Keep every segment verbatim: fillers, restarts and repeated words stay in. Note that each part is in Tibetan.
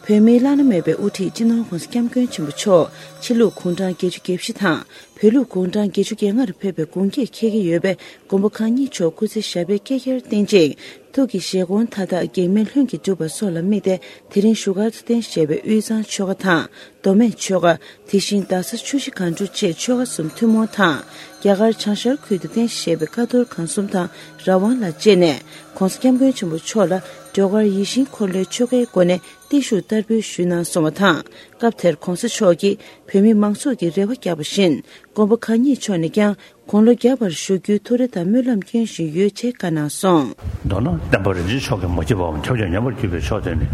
བོད་མིའི་བླ་ན་མེད་པའི་དབུ་ཁྲིད་སྤྱི་ནོར་༧གོང་ས་༧སྐྱབས་མགོན་ཆེན་པོ་མཆོག་ཕྱི་ལུགས་གུང་གྲངས་བརྒྱད་ཅུ་གྱ་བཞི་དང་། བོད་ལུགས་གུང་གྲངས་བརྒྱད་ཅུ་གྱ་ལྔར་ཕེབས་པའི་དགུང་ཁྱེད་འཁེལ་གྱི་ཡོད་པས། མགོན་པོ་གང་ཉིད་མཆོག་སྐུ་ཚེ་ཞབས་པད་བསྐལ་བརྒྱར་བརྟན་ཅིང་། ཐུགས་ཀྱི་བཞེད་དགོངས་མཐའ་དག་གེགས་མེད་ལྷུན་གྱིས་འགྲུབ་པ་སོགས་ལ་དམིགས་ཏེ། དེ་རིང་བཞུགས་སྒར་དུ་རྟེན་བཞེས་པའི་དབུས་གཙང་ཆོལ་ཁ་དང་། མདོ་སྨད་ཆོལ་ཁ། དེ་བཞིན་རྡ་ས་ཆུ་བཞི་སྒང་དྲུག་བཅས་ཆོལ་ཁ་གསུམ་ཐུན་མོང་དང་། རྒྱ་གར་བྱང་ཤར་ཁུལ་དུ་རྟེན་བཞེས་པའི་ཀ་རྡོར་སྒང་གསུམ་དང་ར་དབང་ལ་བཅས་ནས། ྋགོང་ས་ྋསྐྱབས་མགོན་ཆེན་པོ་མཆོག་ལ་སྒྲོལ་དཀར་ཡིད་བཞིན་འཁོར་ལོའི་ཆོ་གའི་སྒོ་ནས་བརྟན་བཞུགས་བསྟར་འབུལ་ཞུས་གནང་སོང་བ་དང་། སྐབས་དེར་ྋགོང་ས་མཆོག་གིས་བོད་མི་མང་ཚོགས་ཀྱི་རེ་བ་བརྒྱབ་པ་བཞིན། མགོན་པོ་གང་ཉིད་མཆོག་ནས་ཀྱང་དགུང་ལོ་བརྒྱ་བར་བཞུགས་རྒྱུའི་ཐུགས་རེ་དང་སྨོན་ལམ་སྐྱོན་བཞིན་ཡོད་ཅེས་བཀའ་གནང་སོང་། མདོར་ན་བསྟན་པ་རིན་ཆེན་མཆོག་གི་མ་སྐྱེས་པའམ་ཁྱབ་བྱ་ཉམས་པར་གྱུར་པའི་མཆོག་དེ་ནི།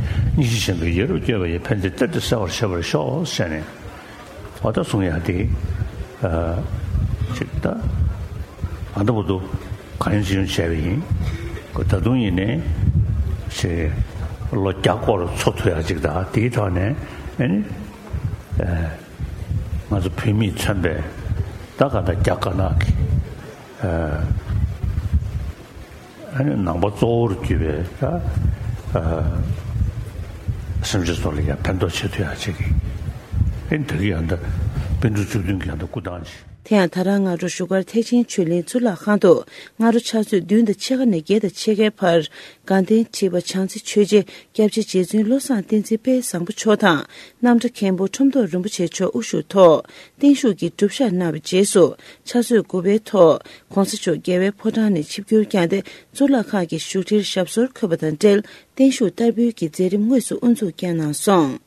སྙིང་རྗེ་ཆེན་པོས་ཡེ་རུ་བསྐྱོད་པ་ཡི། ཕན་བདེ་གཏེར་དུ་གསལ་བར་བྱེད་པར་ཤོག་ཟེར་ནས། འོ་ད་གསུང་ཡག་དེ། ཨ། ཅིག་ད། ཨ་ད་བར་དུ་གང་ཡིན་ཅི་ཡིན་བྱས་པ་ཡིན། ཁོ་ད་དུང་ཡིན་ནའི། ཅིག་ལོ་བརྒྱ་སྐོར་འཚོ་ཐུབ་ཡག་ཅིག་ད་དེའི་ཐོག་ནས་ཨ་ནི། ཨ། ང་ཚོ་བོད་མིས་མཚོན་པའི་ད་ག་ད་རྒྱ་དཀར་ནག་གི། ཨ། ཨ་ནི་ནང་པ་གཙོ་བོར་གྱུར་པའི་ད། ཨ། སེམས་ཅན་ཚོ་ལ་ཡང་ཕན་ཐོགས་བྱེད་ཐུབ་ཡག་ཅིག་གི། ཨ་ནི་ད་གི་ཡང་ད་པཎ་གྲུབ་བཅུ་བདུན་གྱི་ཡང་ད་སྐུ་ཐང་ཅིག། དེ་ཡང་ད་རང་སྔ་དྲོ་བཞུགས་སྒར་ཐེག་ཆེན་ཆོས་གླིང་གཙུག་ལག་ཁང་དུ། སྔ་དྲོ་ཕྱག་ཚོད་བདུན་དང་ཕྱེད་ཀ་ནས་བརྒྱད་དང་ཕྱེད་ཀའི་བར། དགའ་ལྡན་ཁྲི་པ་བྱང་རྩེ་ཆོས་རྗེ་སྐྱབས་རྗེ་རྗེ་བཙུན་བློ་བཟང་བསྟན་འཛིན་དཔལ་བཟང་པོ་མཆོག་དང་། རྣམ་གྲྭ་མཁན་པོ་ཁྲོམ་ཐོག་རིན་པོ་ཆེ་མཆོག་དབུ་བཞུགས་ཐོག་བརྟན་བཞུགས་ཀྱི་སྒྲུབ་ཞག་གནང་བའི་རྗེས་སུ། ཕྱག་ཚོད་དགུ་པའི་ཐོག་ྋགོང་ས་མཆོག་རྒྱལ་བའི་ཕོ་བྲང་ནས་ཆིབས་བསྒྱུར་བསྐྱངས་ཏེ། གཙུག་ལག་ཁང་གི་བཞུགས་ཁྲིར་ཞབས་སོར་འཁོད་པ་དང་འབྲེལ། བརྟན་བཞུགས་བསྟར་འབུལ་གྱི་མཛད་རིམ་དངོས་སུ་དབུ་འཛུགས་བསྐྱངས་གནང་སོང་།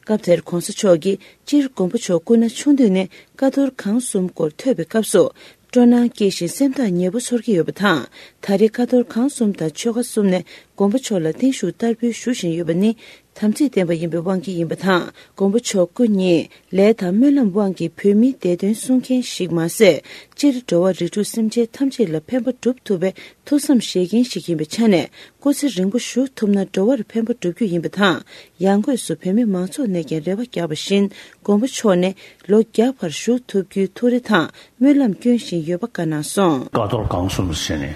སྐབས་དེར་ྋགོང་ས་མཆོག་གིས། སྤྱིར་མགོན་པོ་མཆོག་སྐུ་ན་ཆུང་དུས་ནས་ཀ་རྡོར་སྒང་གསུམ་སྐོར་ཐོས་པའི་སྐབས་སུ། སྤྲོ་སྣང་སྐྱེས་ཤིང་སེམས་ཐག་ཉེ་པོ་ཚོར་གྱི་ཡོད་པ་དང་། ད་རེས་ཀ་རྡོར་སྒང་གསུམ་དང་ཆོལ་ཁ་གསུམ་ནས་མགོན་པོ་མཆོག་ལ་བརྟན་བཞུགས་བསྟར་འབུལ་ཞུ་བཞིན་ཡོད་པ་ནི། དམ་ཚིག་ལྡན་པ་ཡིན་པའི་དབང་གིས་ཡིན་པ་དང་། མགོན་པོ་མཆོག་སྐུ་ཉིད་ལས་དང་སྨོན་ལམ་དབང་གིས་བོད་མིའི་བདེ་དོན་སྲུང་མཁན་ཞིག་མ་ཟད། སྤྱིར་འགྲོ་བ་རིགས་དྲུག་སེམས་ཅན་ཐམས་ཅད་ལ་ཕན་པ་སྒྲུབ་ཐུབ་པའི་ཐུགས་བསམ་བཞེས་མཁན་ཞིག་ཡིན་པའི་ཆ་ནས། སྐུ་ཚེ་རིང་པོ་བཞུགས་ཐུབ་ན་འགྲོ་བར་ཕན་པ་སྒྲུབ་རྒྱུ་ཡིན་པ་དང་། ཡང་སྒོས་སུ་བོད་མི་མང་ཚོགས་ནས་ཀྱང་རེ་བ་བརྒྱབ་པ་བཞིན། མགོན་པོ་མཆོག་ནས་ལོ་བརྒྱ་བར་བཞུགས་ཐུབ་རྒྱུའི་ཐུགས་རེ་དང་སྨོན་ལམ་སྐྱོན་བཞིན་ཡོད་པ་བཀའ་གནང་སོང་། ཀ་རྡོར་སྒང་གསུམ་ཟེར་ནས།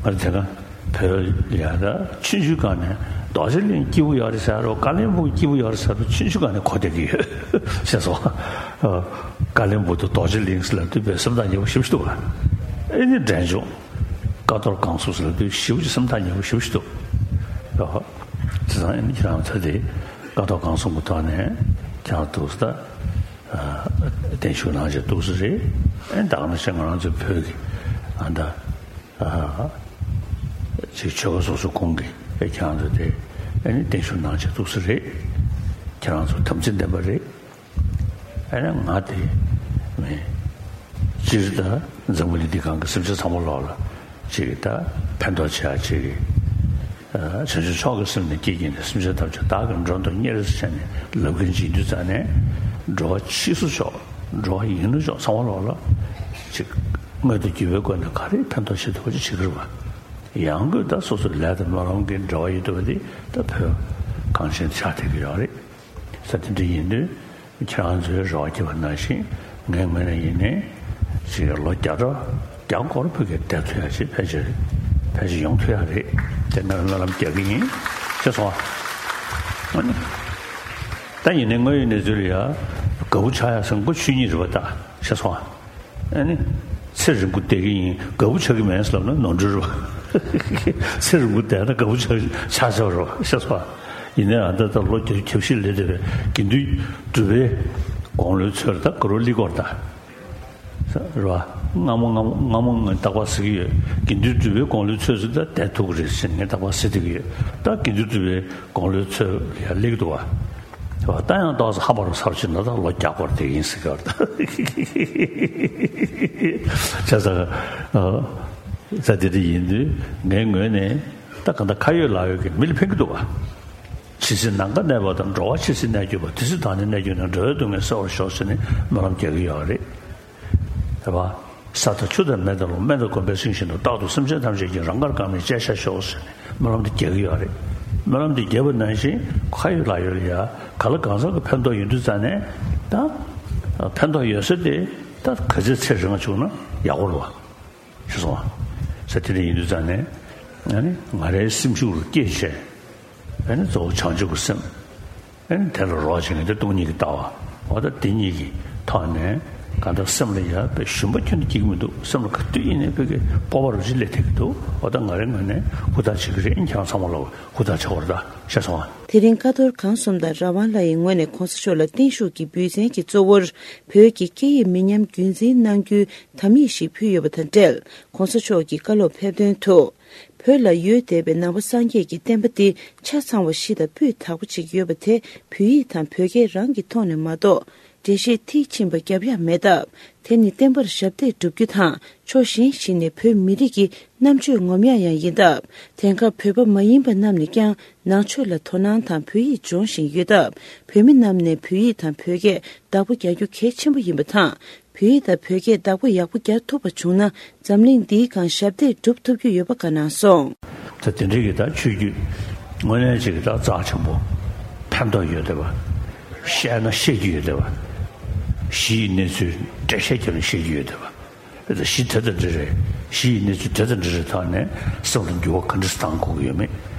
ཨ། ང་དེ་ག་བོད་ལ་ཡ་ད་ཆུང་ཆུང་སྒང་ནས་རྡོ་རྗེ་གླིང་སྐྱིད་པོ་ཡོད་རེད་ཟེར་རོ། བཀའ་བློན་སྦུག་སྐྱིད་པོ་ཡོད་རེད་ཟེར་རོ། ཆུང་ཆུང་སྒང་ནས་གོ་བསྡད་ཀྱི་ཡོད། ཤེས་སོང་། ཨ། བཀའ་བློན་སྦུག་དང་རྡོ་རྗེ་གླིང་ཟེར་ལབ་དུས་བོད་སེམས་ཐག་ཉེ་པོ་ཞེ་པོ་ཅིག་འདུག་ག། ཨེ་ནི་འདྲ་བྱུང་། ཀ་རྡོར་སྒང་གསུམ་ཟེར་ལབ་དུས་ཞེ་པོ་ཅིག་སེམས་ཐག་ཉེ་པོ་ཞེ་པོ་ཅིག་འདུག། ཨ། བྱས་ཙང་ཨེ་ནི་ཁྱེད་རང་ཚོ་དེ་ཀ་རྡོར་སྒང་གསུམ་གྱི་ཐོག་ནས་ཁྱེད་རང་འདུག་ཟེར། ཨ། བརྟན་བཞུགས་གནང་བྱས་འདུག་ས་རེད། ཨེ་ད་ག་ནང་བཞིན་ང་རང་ཚོའི་བོད་ཀྱི་ཨ་ད། ཨ། ཅིག་ཆོལ་ཁ་སོ་སོ་ཁོངས་ཀྱི་ཨེ་ཁྱེད་རང་ཚོ་དེ་ཨེ་ནི་བརྟན་བཞུགས་གནང་བྱས་འདུག་ས་རེད། ཁྱེད་རང་ཚོ་དམ་ཚིག་ལྡན་པ་རེད། ཨེ་ནི་ང་དེ་མིན། སྤྱིར་ད་འཛམ་བུ་གླིང་འདི་སྒང་གི་སེམས་ཅན་ཚང་མ་ལོག་ལ་ཅིག་ད་ཕན་ཐོགས་བྱེད་ཡ་ཅིག་གི། ཨ། བྱང་ཆུབ་མཆོག་གི་སེམས་ནི་བསྐྱེད་ཀྱིས་ནི། སེམས་ཅན་ཐམས་ཅད་བདག་གིས་མགྲོན་དུ་གཉེར་ཟེར་ནས་ལབ་མཁན་ཅིག་ཡིན་དུས་ཙང་ནས། འགྲོ་བ་ཕྱིས་སུ་ཆོག། འགྲོ་བ་ཡིན་ན་ཆོག། ཚང་མ་ལོག་ལ་ཅིག་དངོས་དང་བརྒྱུད་པའི་སྒོ་ནས་ག་རེ་ཕན་ཐོགས་བྱེད་ཐུབ་པ་ཅིག་བྱེད་ཀྱི་རེད་པ། ཡང་སྒོས་ད་སོ་སོའི་ལས་དང་སྨོན་ལམ་གྱི་འབྲེལ་བ་ཡོད་འདུག་པ་དེ་ད་བོད་གངས་ཅན་ཆགས་བསྡད་ཀྱི་ཡོད་རེད། ས་དེ་འདྲ་ཡིན་དུས། ཁྱེད་རང་ཚོའི་རེ་བ་བརྒྱབ་པ་ནང་བཞིན་ངའི་ངོས་ནས་ཡིན་ནའི་ཅིག་ལོ་བརྒྱ་ཕྲག་བརྒྱ་སྐོར་ཕ་གིར་བསྡད་ཐུབ་ཡ་ཞིག་ཕལ་ཆེར་ཕལ་ཆེར་ཡོང་ཐུབ་ཡ་རེད། དེ་ངས་སྨོན་ལམ་རྒྱག་གི་ཡིན། ཤེས་སོང་ཨ། ཨ་ནི། ད་ཡིན་ནའི་དངོས་ཡོད་གནས་ཚུལ་ལ་ཡ་དགའ་པོ་ཆགས་ཡ་ཟེར་མགོ་ཆོད་ཉིད་རེད་པ། ད་ཤེས་སོང་ཨ། ཨ་ནི། ཚེ་རིང་པོ་བསྡད་ཀྱི་ཡིན། དགའ་པོ་ཆགས་ཀྱི་མེད་ཟེར་ལབ་ན་ནོར་འཁྲུལ་རེད་པ། ཚེ་རིང་པོ་བསྡད་ན་དགའ་པོ་ཆགས་ཆགས་ཆགས་རེད་པ། ཤེས་སོང་ཨ། ཡིན་ནའི་ཨ་ད་ལྟ་ལོ་བརྒྱད་ཅུ་གྱ་བཞི་སླེབས་བསྡད་པའི་དགེ་འདུན་གྲུབ་པའི་དགུང་ལོའི་ཚོད་ད་ག་རོ་ལི་སྐོར་ད། རེད་པ། སྔ་མོ་སྔ་མོ་སྔ་མོ་ངས་རྟག་པར་ཟེར་གྱི་ཡོད། དགེ་འདུན་གྲུབ་པའི་དགུང་ལོའི་ཚོད་ཚོད་ད་བསྡད་ཐུབ་ཀྱི་རེད་ཟེར་ངས་རྟག་པར་ཟེར་བསྡད་ཀྱི་ཡོད། ད་དགེ་འདུན་གྲུབ་པའི་དགུང་ལོའི་ཚོད་ལ་ཡ་སླེབས་ཀྱི་འདུག་པ། རེད་པ། ད་ཡང་ཏོག་ཙམ་ཧ་པ་རུ་ཚར་ཕྱིན་ན་ད་ལོ་བརྒྱ་སྐོར་དེ་ཡིན་ཟེར་གྱི་ཡོད་རེད་ད། བྱས་ཙང་། ཨ། ད་དེ་འདྲ་ཡིན་དུས་ངའི་ངོས་ནས་ད་གང་ལྟར་ཁ་ཡོད་ལག་ཡོད་ཀྱི་མི་ལ་ཕན་གྱི་འདུག་པ། ཇི་སྲིད་ནམ་མཁའ་གནས་པ་དང་། འགྲོ་བ་ཇི་སྲིད་གནས་གྱུར་པ། དེ་སྲིད་བདག་ནི་གནས་གྱུར་ནས། འགྲོ་བའི་སྡུག་བསྔལ་སེལ་བར་ཤོག་ཟེར་ནས་སྨོན་ལམ་རྒྱག་གི་ཡོད་རེད། རེད་པ། ས་དང་ཆུ་དང་མེ་དང་རླུང་། སྨན་དང་སྒོམ་པས་ཟིན་བཞིན་དུ། རྟག་ཏུ་སེམས་ཅན་ཐམས་ཅད་ཀྱི། རང་དགར་གང་མིན་སྤྱད་བྱ་ཤོག་ཟེར་ནས་སྨོན་ལམ་དེ་རྒྱག་གི་ཡོད་རེད། སྨོན་ལམ་དེ་བརྒྱབ་པ་ནང་བཞིན་ཁ་ཡོད་ལག་ཡོད་ལ་ཡ་ག་ལ་གང་འཚམ་གྱི་ཕན་ཐོགས་ཡོང་དུས་ཙང་ནས་ད་ཕན་ཐོགས་ཡོད་ས་དེ་ད་ག་ཚོད་ཚེ་རིང་བ་བྱུང་ན་ཡག་པོ་རེད་པ། ཤེས་སོང་ཨ། ས་དེ་འདྲ་ཡིན་དུས་ཙང་ནས་ཨ་ནི་ང་རའི་སེམས་ཤུགས་རུ་སྐྱེད་བྱས། ཨ་ནི་གཙོ་བོ་བྱང་ཆུབ་ཀྱི་སེམས། ཨ་ནི་དེ་ལ་རོགས་བྱེད་མཁན་དེ་སྟོང་ཉིད་ཀྱི་ལྟ་བ། འོ་ད་དེ་གཉིས་ཀྱི་ཐོག་ནས་གང་ལྟར་སེམས་ལ་ཡ་དཔེ་ཞུམ་པ་ཁྱོན་ནས་སྐྱེ་གི་མི་འདུག་སེམས་ལ་ག་དུས་ཡིན་ནའི་དཔེ་གི་སྤོབས་པ་རུ་ཅིག་སླེབས་ཐུབ་ཀྱི་འདུག་འོ་ད་ང་རའི་ངོས་ནས་ཧུར་ཐག་བྱེད་ཀྱི་རེད། ཁྱེད་རང་ཚང་མ་ལ་ཧུར་ཐག་བྱེད་དགོས་རེད། ད་ཤེས་སོང་ཨ། དེ་རིང་ཀ་རྡོར་གང་གསུམ་དང་རང་དབང་ལྷ་ཡི་ངོས་ནས་གོང་ས་མཆོག་ལ་བརྟན་བཞུགས་ཀྱི་འབུལ་ཚན་གྱི་གཙོ་བོར་བོད་ཀྱི་སྐད་ཡིག་མི་ཉམས་རྒྱུན་འཛིན་གནང་རྒྱུའི་དམ་ཡིག་ཞིག་ཕུལ་ཡོད་པ་དང་འབྲེལ། གོང་ས་མཆོག་གི་བཀའ་སློབ་ཕེབས་དོན་དུ། བོད་ལ་ཡོད་བསྡད་པའི་ནང་པ་སངས་རྒྱས་ཀྱི་བསྟན་པ་འདི་ཆ་ཚང་བ་ཞིག་དང་སྤུས་དག་པོ་ཅིག་ཡོད་པ་དེ་བོད་ཡིག་དང་བོད་སྐད་རང་གི་ཐོག་ནས་མ་གཏོགས་འགྲེལ་བཤད་མཐིལ་ཕྱིན་པ་བརྒྱབ་ཡག་མེད་སྟབས། དེ་ནི་བསྟན་པར་ཞབས་འདེགས་སྒྲུབ་རྒྱུ་དང་ཕྱོགས་གཞན་ཞིག་ནས་བོད་མི་རིགས་ཀྱི་རྣམ་དཔྱོད་ངོམ་ཡག་ཡང་ཡིན་སྟབས། དེང་སྐབས་བོད་པ་མ་ཡིན་པ་རྣམས་ནས་ཀྱང་ནང་ཆོས་ལ་དོ་སྣང་དང་བོད་ཡིག་སྦྱོང་བཞིན་ཡོད་སྟབས། བོད་མི་རྣམས་ནས་བོད་ཡིག་དང་བོད་སྐད་བདག་པོ་རྒྱག་རྒྱུ་གལ་ཆེན་པོ་ཡིན་པ་དང་། བོད་ཡིག་དང་བོད་སྐད་བདག་པོ་ཡག་པོ་རྒྱག་ཐུབ་པ་བྱུང་ན། འཛམ་གླིང་འདིའི་སྒང་ཞབས་འདེགས་སྒྲུབ་ཐུབ་རྒྱུ་ཡོད་པ་བཀའ་གནང་སོང་། ད་དེ་འདྲའི་གི་ད་ཆོས་བརྒྱུད་དངོས་གནས་ཅིག་གི་ད་རྩ་ཆེན་པོ་ཕན་ཐོགས་ཡོད་བསྡད་པ། བཤད་ན་བཤད་རྒྱུ་ཡོད་བསྡད་པ། གཞི་ཡི་གནས་ཚུལ་འགྲེལ་བཤད་བརྒྱབ་ནས་བཤད་རྒྱུ་ཡོད་བསྡད་པ། ད་གཞི་དེ་དང་འདི་རེད། གཞི་ཡི་གནས་ཚུལ་དེ་དང་འདི་རེད། ཐོག་ནས་སེམས་ལ་འགྱུར་བ་ག་འདྲ་བཏང་དགོས་ཀྱི་ཡོད་མེད་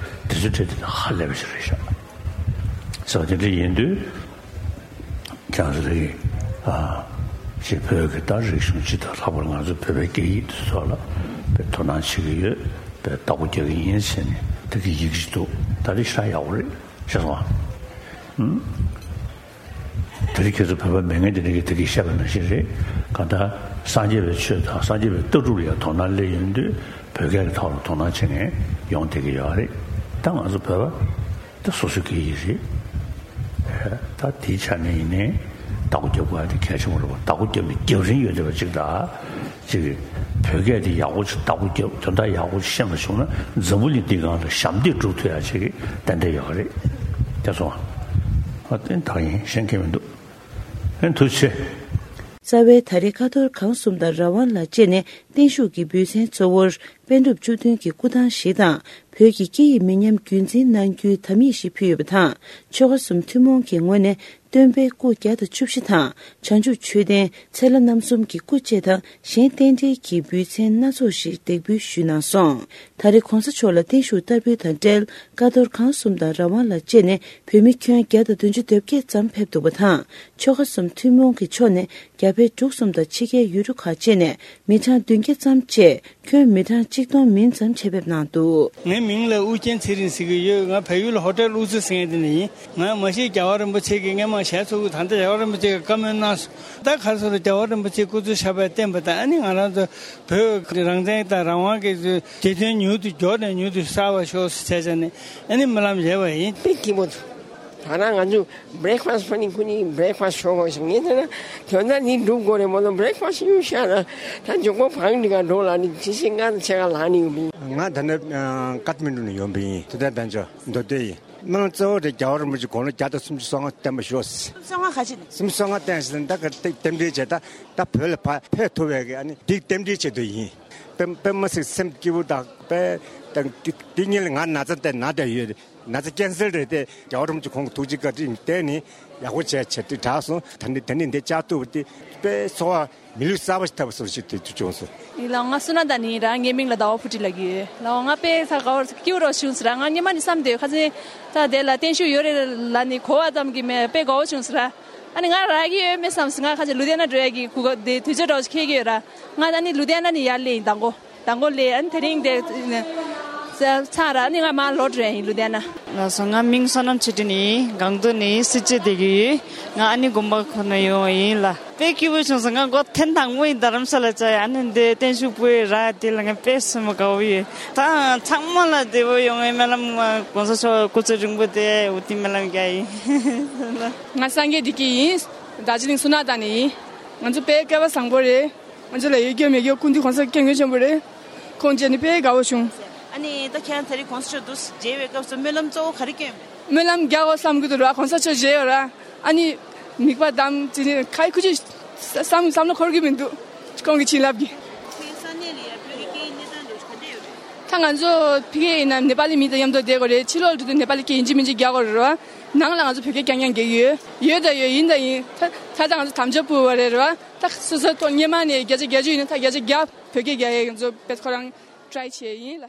དེ་ཚོའི་གྲས་དེ་ཧ་ལས་པ་ཞིག་རེད་ཤག་ཟེར་བ་དེ་འདྲ་ཡིན་དུས། ཀྱང་རེད། ཨ། ཅེས་བོད་ཀྱི་ད་རིག་གཞུང་སྤྱི་དང་ལྷག་པར་ང་ཚོ་བོད་པའི་སྐད་ཡིག་འདི་ཚོ་ལ་དཔེ་དོ་སྣང་བྱེད་ཀྱི་ཡོད། དཔེ་བདག་པོ་རྒྱག་གི་ཡིན་ཟེར་ནས་དེ་གི་ཡི་གེ་ཞིག་འདུག་ད་རེས་ཤ་ཡག་པོ་རེད། ཤེས་སོང་ཨ། ཨུམ། དེ་རིང་ཁྱེད་ཚོ་བོད་པ་མེད་མཁན་དེ་འདྲ་གི་དེ་གི་བཤད་པ་ནང་བཞིན་རེད། གང་ལྟར་སངས་རྒྱས་པའི་ཆོས་དང་སངས་རྒྱས་པའི་ལྟ་གྲུབ་ལ་ཡང་དོ་སྣང་སླེབས་ཡོང་དུས་བོད་སྐད་ཀྱི་ཐོག་ལ་དོ་སྣང་བྱེད་མཁན་ཡོང་བསྡད་ཀྱི་ཡོད་རེད། ད་ང་ཚོ་བོད་པ། ད་སོ་སོའི་སྐད་ཡིག་རེད། ད་དེའི་ཆ་ནས་ཡིན་ནའི་བདག་པོ་རྒྱབ་དགོས་ཡ་དེ་གལ་ཆེན་པོ་རེད་པ། བདག་པོ་རྒྱབ་ནས་རྒྱབ་རིན་ཡོད་བསྡད་པ་ཅིག་དང་། ཅིག་བོད་སྐད་དེ་ཡག་པོ་ཅིག་བདག་པོ་རྒྱབ་དོན་དག་ཡག་པོ་ཅིག་ཤེས་པ་བྱུང་ན་འཛམ་བུ་གླིང་འདིའི་སྒང་ལ་ཞབས་འདེགས་སྒྲུབ་ཐུབ་ཡ་ཅིག་གི་ཏན་ཏན་ཡོད་རེད། དེ་སོང་ཨ། དེ་ད་ཡིན་གཞན་གང་མི་འདུག་ཨེ་ཐུགས་རྗེ་ཆེ། རྩ་བའི་ད་རེས་ཀ་རྡོར་གང་གསུམ་དང་རང་དབང་ལ་བཅས་ནས་བརྟན་བཞུགས་ཀྱི་འབུལ་ཚན་གཙོ་བོར་པཎ་གྲུབ་བཅུ་བདུན་གྱི་སྐུ་ཐང་ཞིག་དང་། བོད་ཀྱི་སྐད་ཡིག་མི་ཉམས་རྒྱུན་འཛིན་གནང་རྒྱུའི་དམ་ཡིག་ཞིག་ཕུལ་ཡོད་པ་དང་། ཆོལ་ཁ་གསུམ་ཐུན་མོང་གི་ངོས་ནས་སྟོན་པའི་སྐུ་བརྒྱ་དང་བཅུ་བཞི་དང་། བྱང་ཆུབ་མཆོད་རྟེན་ཚེ་ལྷ་རྣམ་གསུམ་གྱི་སྐུ་བཅས་དང་གཞན་རྟེན་འབྲེལ་གྱི་འབུལ་ཚན་སྣ་ཚོགས་ཤིག་འདེགས་འབུལ་ཞུས་གནང་སོང་། ད་རེས་གོང་ས་མཆོག་ལ་བརྟན་བཞུགས་བསྟར་འབུལ་དང་འབྲེལ། ཀ་རྡོར་གང་གསུམ་དང་རང་དབང་ལ་བཅས་ནས་བོད་མི་ཁྱོན་བརྒྱ་དང་བདུན་ཅུ་དོན་བརྒྱད་ཙམ་ཕེབས་འདུག་པ་དང་། ཆོལ་ཁ་གསུམ་ཐུན་མོང་གི་ཕྱོགས་ནས་རྒྱ་བལ་འབྲུག་གསུམ་དང་ཕྱི་རྒྱལ་ཡུལ་གྲུ་ཁག་བཅས་ནས་མི་གྲངས་བདུན་བརྒྱ་ཙམ་བཅས་ཁྱོན་མི་གྲངས་གཅིག་སྟོང་མིན་ཙམ་ཆེད་ཕེབས་གནང་འདུག་ངའི་མིང་ལ་ཨུ་རྒྱན་ཚེ་རིང་ཟེར་གྱི་ཡོད། ང་བལ་ཡུལ་ཧོ་ཊེལ་ཨུ་ཙི་ཟེར་མཁན་དེ་ནས་ཡིན། ང་མ་གཞི་རྒྱལ་བ་རིན་པོ་ཆེ་གི་སྔས་མ་ཞལ་འཚོ་གི། ད་ལྟ་རྒྱལ་བ་རིན་པོ་ཆེ་གི་བཀའ་མོལ་གནང་སོང་། ད་ག་རེ་ཟེར་རྒྱལ་བ་རིན་པོ་ཆེ་སྐུ་ཚེ་ཞབས་པད་བརྟན་པ་དང་། ཨ་ནི་ང་རང་ཚོ་བོད་རང་བཙན་དང་རང་དབང་གི་བདེ་དོན་མྱུར་དུ་མགྱོགས་ནས་མྱུར་དུ་གསལ་བར་ཤོག་ཟེར་བྱས་ནས་ཨ་ནི་སྨོན་ལམ་བཞེས་པ་ཡིན། དཔེ་སྐྱིད་པོ་འདུག་ད་ང་ཚོ་བྷི་རེག་ཕ་སི་ཕུ་ནི་ཁུ་ནི་བྷི་རེག་ཕ་སི་ཤོག་ཤོག་ངས་ད་ན་དོན་དག་ནི་འགྲུབ་དགོས་རེད་མོ་ལ། བྷི་རེག་ཕ་སི་ཡུ་ཤ་ན་ད་འཇོག་པ་བང་འདི་ག་འགྲོ་ལ་ནི་ཇི་སྲིད་ང་ཆེ་ག་ལ་ནི་ཡོང་པ་ཡིན། ང་ད་ནི་ཀ་ཐ་མན་ཌུ་ནས་ཡོང་པ་ཡིན། དེ་ལྟར་བན་ཆོ་མདོ་སྟོད་ཡིན། སྨོན་ལམ་གཙོ་བོ་དེ་རྒྱལ་བ་རིན་པོ་ཆེ་དགུང་ལོ་བརྒྱ་དང་སུམ་ཅུ་སོ་ལྔ་བརྟན་པ་ཤོག་སུམ་ཅུ་སོ་ལྔ་བརྟན་ཟེར་ན་ད་ག་རྟེན་འབྲེལ་བྱས། ད་ད་བོད་ལ་ཕ་ཕེབས་ཐུབ་པའི་གི་ཨ་ནི་འདི་རྟེན་འབྲེལ་ཆེད་དུ་ཡིན། དཔེ་དཔེ་མི་སྲིད་སེམས་སྐྱིད་པོ་དང་དཔེ་དང་འདི་གཉིས་ལ་ང་ན་ཚ་དེ་ན་བསྡད་ཡོད། ན་ཚ་ཀན་སར་རེད་དེ། རྒྱལ་བ་རིན་པོ་ཆེ་ཁོང་གི་ཐུགས་རྗེ་བཀའ་དྲིན་བརྟེན་ནས་ཡག་པོ་བྱས་བྱས་དེ་དྲག་སོང་། ད་ནི་ད་ནི་འདི་བཅར་ཐུབ་པ་དེ་དཔེ་ཚོར་བ་མི་ལུས་གསར་པ་ཞིག་ཐོབ་པ་སོགས་ཞིག་དེ་བྱུང་སོང་། ཡིན་ལ། ང་བསོད་ནམས་དང་ནི་ར། ངའི་མིང་ལ་ཟླ་བ་ཕུར་སྒྲིག་ལབ་ཀྱི་ཡོད་ལ། ང་དཔེ་ཚ་དགའ་བོ་སྐྱིད་པོ་རོ་བྱུང་ཟེར་ར། ང་སྔོན་མ་ནས་བསམ་བསྡད་ཡོད། ཁ་སང་ད་དེ་ལ་བརྟན་བཞུགས་ཡོད་རེད་ལ་ནི་གོ་བ་ཙམ་གྱིས་མེད་དཔེ་དགའ་བོ་བྱུང་ཟེར་ར། ཨ་ནི་ང་རག་གི་ཡོད་མེད་བསམ་སོང་། ང་ཁ་ཅིག་ལུ་དྷི་ཡ་ན་འགྲོ་ཡ་གི་གུ་ག་དེ་དུས་ཚོད་འདྲ་བོ་ཞིག་འཁེལ་གྱི་ཡོད་ར། ང་ད་ནི་ལུ་དྷི་ཡ་ན་ནས་ཡར་སླེབས་ཡིན། མདང་དགོང་མདང་དགོང་སླེབས། ཨ་ནི་དེ་རིང་དེ་ཚར་ར། ཨ་ནི་ང་མར་ལོག་འགྲོ་ཡ་ཡིན་ལུ་དྷི་ཡ་ན། ལགས་སོ། ང་མིང་བསོད་ནམས་ཆོས་སྒྲོན་ཡིན། སྒང་ཏོག་ནས་སེར་བྱེས་བསྡད་ཀྱི་ཡོད། ང་ཨ་ནི་དགོན་པ་ཁོ་ན་ཡོང་བ་ཡིན་ལ། དཔེ་སྐྱིད་པོ་བྱུང་སོང་། ང་མགོ་ཐེངས་དང་པོ་ཡིན་རྡ་རམ་ས་ལ་བཅར་ཡ། ཨ་ནི་འདི་བརྟན་བཞུགས་ཕུལ་ཡ་རག་དེ་ལ་ང་དཔེ་སེམས་པ་དགའ་བོ་ཡོད། ད་ཚང་མ་ལ་བདེ་པོ་ཡོང་བའི་སྨོན་ལམ། གོང་ས་མཆོག་སྐུ་ཚེ་རིང་པོ་དེ་འོ་དེ་སྨོན་ལམ་རྒྱག་ཡིན། ང་སངས་རྒྱས་བདེ་སྐྱིད་ཡིན། རྡོ་རྗེ་གླིང་སུ་ན་ད་ནས་ཡིན། ང་ཚོ་དཔེ་སྐལ་བ་བཟང་པོ་རེད། ང་ཚོ་ལ་ཡོད་རྒྱུ་མེད་རྒྱུ་སྐུ་མདུན་གོང་ས་སྐྱབས་མགོན་ཆེན་པོ་རེད། ཁོང་མཇལ་ནས་དཔེ་དགའ་བོ་བྱུང་། ཨ་ནི་ད་ཁྱེད་རང་དེ་རིང་གོང་ས་མཆོག་འདུག་མཇལ་བའི་སྐབས་སུ་སྨོན་ལམ་གཙོ་བོ་ག་རེ་སྐྱོན་པས། སྨོན་ལམ་རྒྱག་དགོས་བསམ་གྱི་འདུག་ར། གོང་ས་མཆོག་མཇལ་ཡོད་ར། ཨ་ནི་མིག་པ་བསྡམས་དེ་ནས་ཁ་ཡི་ཁུ་ཅི་བསམ་བསམ་བློ་འཁོར་གྱི་མི་འདུག་ཁོང་གི་བྱིན་རླབས་ཀྱིས། ཁྱེད་ས་གནས་ལ་ཡ་བོད་ཀྱི་སྐད་ཡིག་གནས་སྟངས་འདྲ་བོ་ག་འདྲ་ཡོད་རེད། ད་ང་ཚོ་ཕ་གི་ཡིན་ན་ནེ་པ་ལི་མི་དང་མཉམ་དུ་བསྡད་དགོས་རེད། ཕྱི་ལོགས་འགྲོ་དུས་ནེ་པ་ལི་སྐད་ཡིན་གཅིག་མིན་གཅིག་རྒྱག་དགོས་རེད་ར། ནང་ལ་ང་ཚོ་བོད་སྐད་རྐྱང་རྐྱང་རྒྱག་གི་ཡོད། ཡོད་ད་ཡོད། ཡིན་ད་ཡིན། ད་ད་ལྟ་ང་ཚོ་དམ་བཅའ་ཕུལ་བ་རེད་ར། ད་སོ་སོའི་ཐོག་སྔོན་མ་ནས་བརྒྱ་ཆ་བརྒྱད་ཅུ་ཡིན་ན་ད་བརྒྱ་ཆ་བརྒྱ་བོད་སྐད་རྒྱག་ཡས་ང་ཚོ་དཔེ་ཁོ་རང་ཊ་རའི་བྱས་ཡིན་ལ།